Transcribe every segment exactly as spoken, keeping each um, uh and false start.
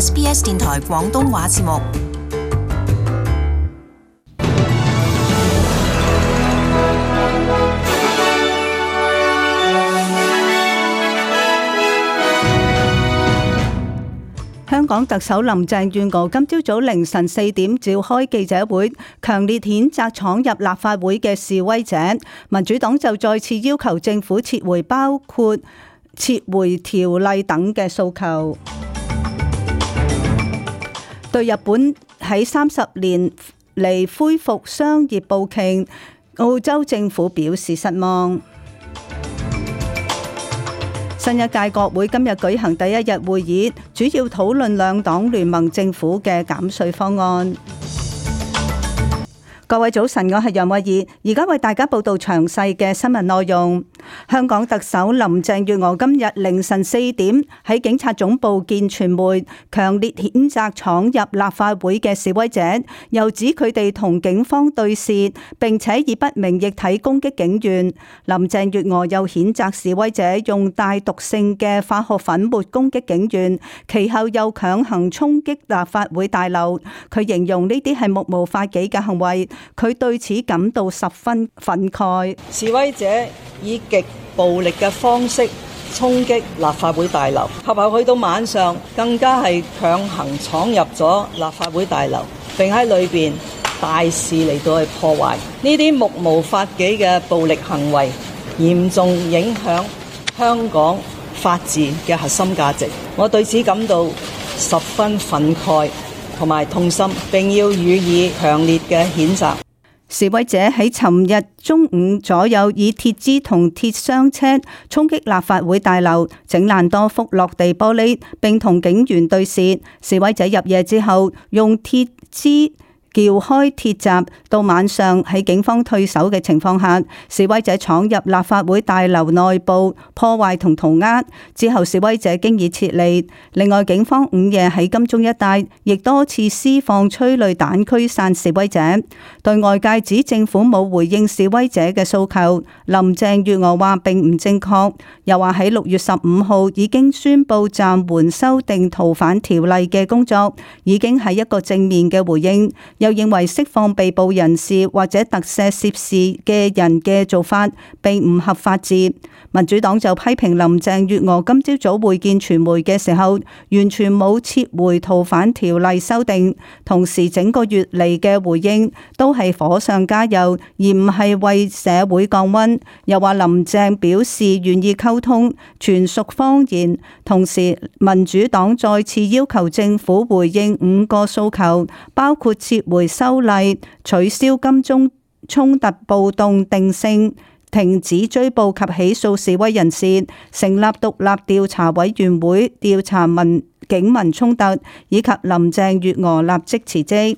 S B S 電台廣東話節目。香港特首林鄭月娥今朝早凌晨四點召開記者會，強烈譴責闖入立法會嘅示威者。民主黨就再次要求政府撤回包括撤回條例等嘅訴求。對日本喺三十年嚟恢復商業步徑，澳洲政府表示失望。新一屆國會今日舉行第一日會議，主要討論兩黨聯盟政府嘅減稅方案。各位早晨，我係楊慧儀，而家為大家報道詳細嘅新聞內容。香港特首林鄭月娥今日凌晨四點喺警察總部見傳媒，強烈譴責闖入立法會嘅示威者，又指佢哋同警方對峙，並且以不明液體攻擊警員。林鄭月娥又譴責示威者用帶毒性嘅化學粉末攻擊警員，其後又強行衝擊立法會大樓。佢形容呢啲係目無法紀嘅行為，佢對此感到十分憤慨。示威者以極暴力嘅方式衝擊立法會大樓，及後去到晚上更加係強行闖入咗立法會大樓，並喺裏邊大肆嚟到去破壞。呢啲目無法紀嘅暴力行為，嚴重影響香港法治嘅核心價值。我對此感到十分憤慨同埋痛心，並要予以強烈嘅譴責。示威者喺尋日中午左右以鐵枝同鐵箱車衝擊立法會大樓，整爛多幅落地玻璃，並同警員對峙。示威者入夜之後用鐵枝撬開鐵閘，到晚上喺警方退守嘅情況下，示威者闖入立法會大樓內部破壞同塗鴉，之後示威者經已撤離。另外，警方午夜喺金鐘一帶亦多次施放催淚彈驅散示威者。對外界指政府冇回應示威者嘅訴求，林鄭月娥話並唔正確，又話喺六月十五號已經宣布暫緩修訂逃犯條例嘅工作，已經係一個正面嘅回應。又認為釋放被捕人士或者特赦涉事嘅人嘅做法並唔合法治。民主黨就批評林鄭月娥今朝早會見傳媒嘅時候，完全冇撤回逃犯條例修訂，同時整個月嚟嘅回應都係火上加油，而唔係為社會降溫。又話林鄭表示願意溝通，全屬謊言。同時，民主黨再次要求政府回應五個訴求，包括撤回修例、取消金鐘衝突暴動定性、停止追捕及起訴示威人士、成立獨立調查委員會調查民警民衝突，以及林鄭月娥立即辭職。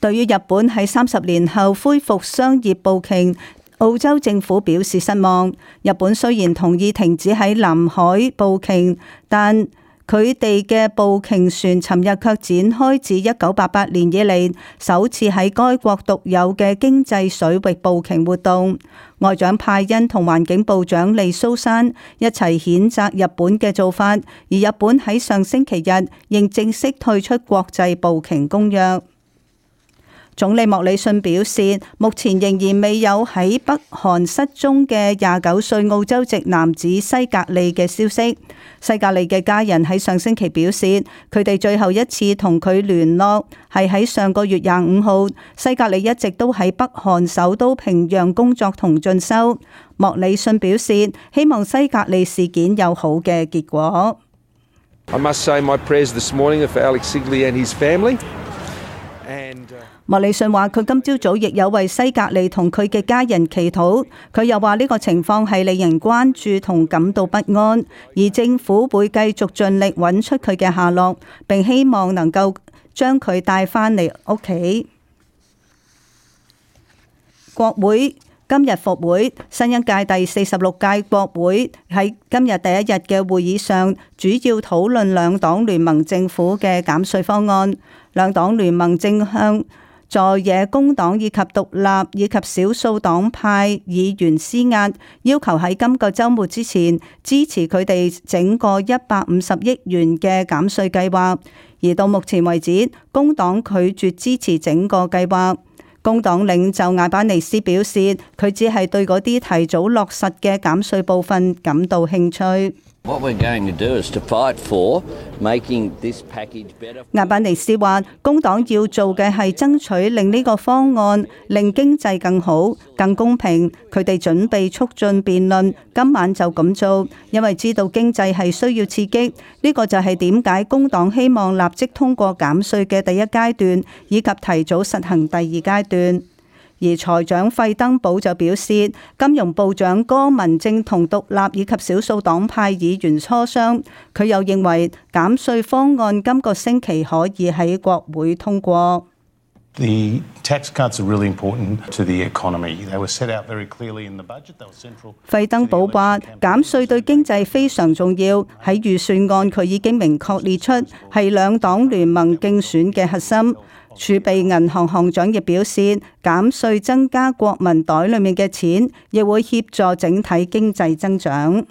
對於日本喺三十年後恢復商業步徑，澳洲政府表示失望。日本雖然同意停止喺南海步徑，但佢哋嘅步徑船尋日卻展開自一九八八年以嚟首次喺該國獨有嘅經濟水域步徑活動。外長派恩同環境部長利蘇珊一齊譴責日本嘅做法，而日本喺上星期日仍正式退出國際步徑公約。總理莫里遜表示，目前仍然未有喺北韓失蹤嘅廿九歲澳洲籍男子西格利嘅消息。西格利嘅家人喺上星期表示，佢哋最後一次同佢聯絡係喺上個月廿五號。西格利一直都喺北韓首都平壤工作同進修。莫里遜表示，希望西格利事件有好嘅結果。I must say my prayers this morning are for Alex Sigley and his family. 莫里遜話：佢今朝早亦有為西格利同佢嘅家人祈禱。佢又話呢個情況係令人關注同感到不安，而政府會繼續盡力揾出佢嘅下落，並希望能夠將佢帶返嚟屋企。國會今日復會，新一屆第四十六屆國會喺今日第一日嘅會議上，主要討論兩黨聯盟政府嘅減稅方案。兩黨聯盟正向在野工黨以及獨立以及少數黨派議員施壓，要求喺今個週末之前支持佢哋整個一百五十億元嘅減稅計劃。而到目前為止，工黨拒絕支持整個計劃。工黨領袖艾巴尼斯表示，佢只係對嗰啲提早落實嘅減稅部分感到興趣。艾巴尼斯話，工黨要做嘅係爭取令呢個方案令經濟更好、更公平。佢哋準備促進辯論，今晚就咁做，因為知道經濟係需要刺激。呢個就係點解工黨希望立即通過減稅嘅第一階段，以及提早實行第二階段。而財長費登堡就表示，金融部長戈文正同獨立以及少數黨派議員磋商。佢又認為減稅方案今個星期可以喺國會通過。The tax cuts are really important to the economy. They were set out very clearly in the budget. They were central. 費登堡話減稅對經濟非常重要，喺預算案佢已經明確列出係兩黨聯盟競選嘅核心。儲備銀行行長亦表示，減稅增加國民袋裏面嘅錢，亦會協助整體經濟增長。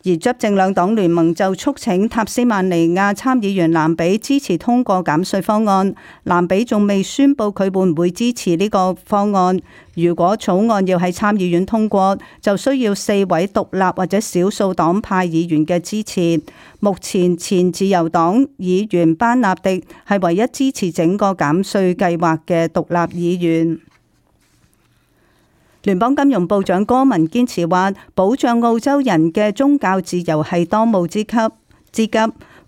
而執政兩黨聯盟就促請塔斯曼尼亞參議員蘭比支持通過減稅方案。蘭比仲未宣布佢會唔會支持呢個方案。如果草案要喺參議院通過，就需要四位獨立或者少數黨派議員嘅支持。目前前自由黨議員班納迪係唯一支持整個減稅計劃嘅獨立議員。聯邦金融部長戈文堅持話，保障澳洲人嘅宗教自由係當務之急之急。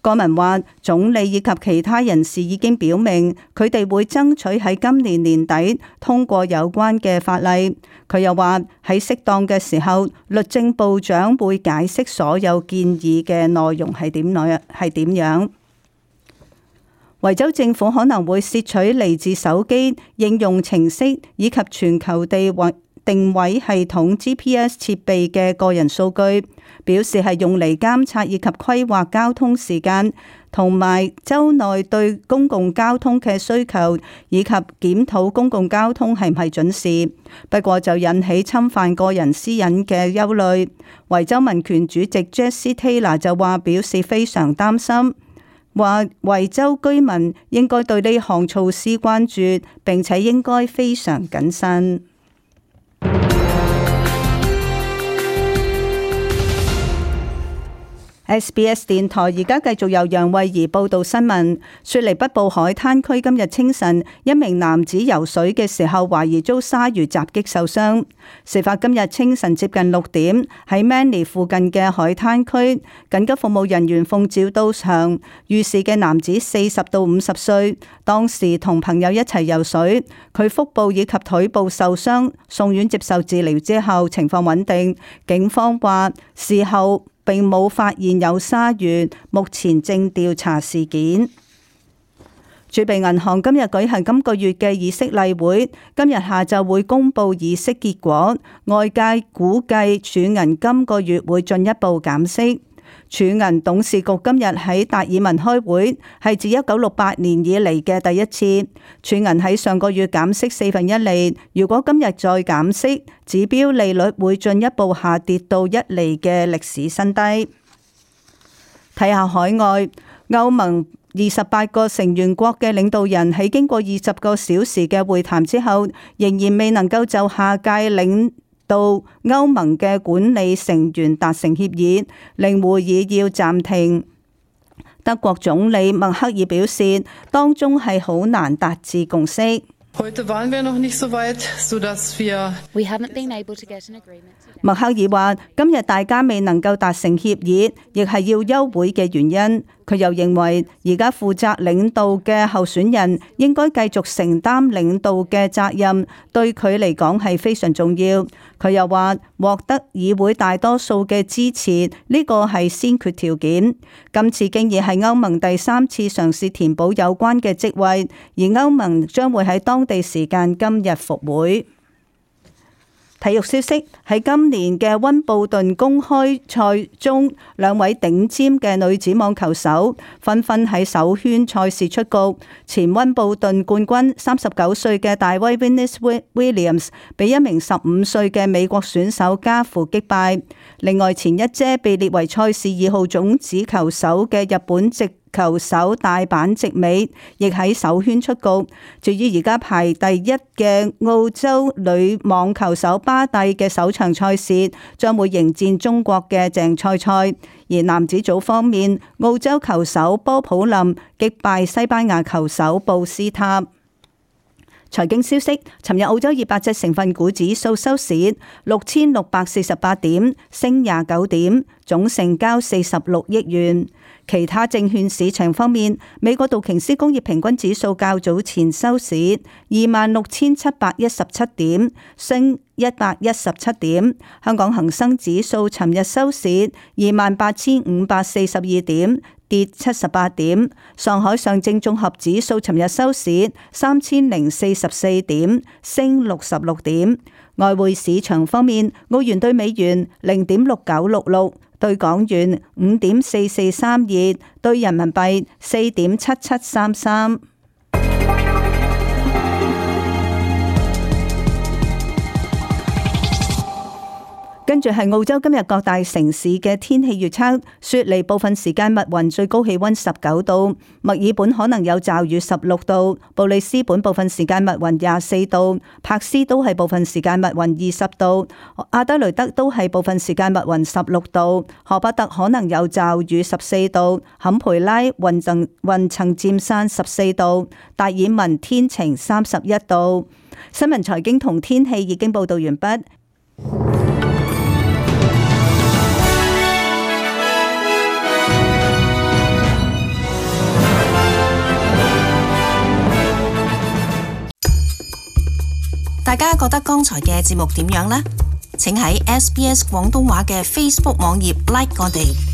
戈文話，總理以及其他人士已經表明，佢哋會爭取喺今年年底通過有關嘅法例。佢又話，喺適當嘅時候，律政部長會解釋所有建議嘅內容係點樣係點樣。維州政府可能會竊取嚟自手機應用程式以及全球地位定位系統 G P S 設備嘅個人數據，表示係用嚟監察以及規劃交通時間，同埋州內對公共交通嘅需求，以及檢討公共交通係唔係準時。不過就引起侵犯個人私隱嘅憂慮。維州民權主席 Jesse Taylor 就話表示非常擔心，話維州居民應該對呢項措施關注，並且應該非常謹慎。S B S 電台而家繼續由楊慧儀報道新聞。雪梨北部海灘區今日清晨，一名男子游水嘅時候懷疑遭鯊魚襲擊受傷。事發今日清晨接近六點，喺 Manly 附近嘅海灘區，緊急服務人員奉召到場。遇事嘅男子四十到五十歲，當時同朋友一齊游水，佢腹部以及腿部受傷，送院接受治療之後情況穩定。警方話事後並冇發現有鯊魚，目前正調查事件。儲備銀行今日舉行今個月嘅議息例會，今日下晝會公布議息結果。外界估計儲銀今個月會進一步減息。儲銀董事局今日喺達爾文開會，係自一九六八年以嚟嘅第一次。儲銀喺上個月減息四分一厘，如果今日再減息，指標利率會進一步下跌到一厘嘅歷史新低。睇下海外，歐盟二十八個成員國嘅領導人喺經過二十個小時嘅會談之後，仍然未能夠就下屆領到歐盟嘅管理成員達成協議，令會議要暫停。德國總理默克爾表示，當中係好難達至共識。默克爾話：今日大家未能夠達成協議，亦係要休會嘅原因。佢又認為，而家負責領導嘅候選人應該繼續承擔領導嘅責任，對佢嚟講係非常重要。佢又話，獲得議會大多數嘅支持，呢個係先決條件。今次經已係歐盟第三次嘗試填補有關嘅職位，而歐盟將會喺當地時間今日復會。體育消息，喺今年嘅溫布頓公開賽中，兩位頂尖嘅女子網球手紛紛喺首圈賽事出局。前溫布頓冠軍三十九歲嘅大威 Venus Williams 被一名十五歲嘅美國選手家父擊敗。另外，前一姐被列為賽事二號種子球手嘅日本籍球手大阪直美亦喺首圈出局。至於而家排第一嘅澳洲女網球手巴蒂嘅首場賽事將會迎戰中國嘅鄭賽賽。而男子組方面，澳洲球手波普林擊敗西班牙球手布斯塔。財經消息，尋日澳洲二百隻成分股指數收市六千六百四十八點，升廿九點，總成交四十六億元。其他證券市場方面，美國道瓊斯工業平均指數較早前收市二萬六千七百一十七點，升一百一十七點。香港恒生指數尋日收市二萬八千五百四十二點，跌七十八點。上海上證綜合指數尋日收市三千零四十四點，升六十六點。外匯市場方面，澳元兌美元零點六九六六，兌港元五點四四三二，兌人民幣四點七七三三。跟住係澳洲今日各大城市嘅天氣預測：雪梨部分時間密雲，最高氣溫十九度；墨爾本可能有驟雨，十六度；布里斯本部分時間密雲，廿四度；柏斯都係部分時間密雲，二十度；阿德雷德都係部分時間密雲，十六度；荷伯特可能有驟雨，十四度；坎培拉雲層雲層漸散，十四度；達爾文天晴，三十一度。新聞財經同天氣已經報道完畢。大家覺得剛才嘅節目點樣呢？請喺 S B S 廣東話嘅 Facebook 網頁 like 我哋。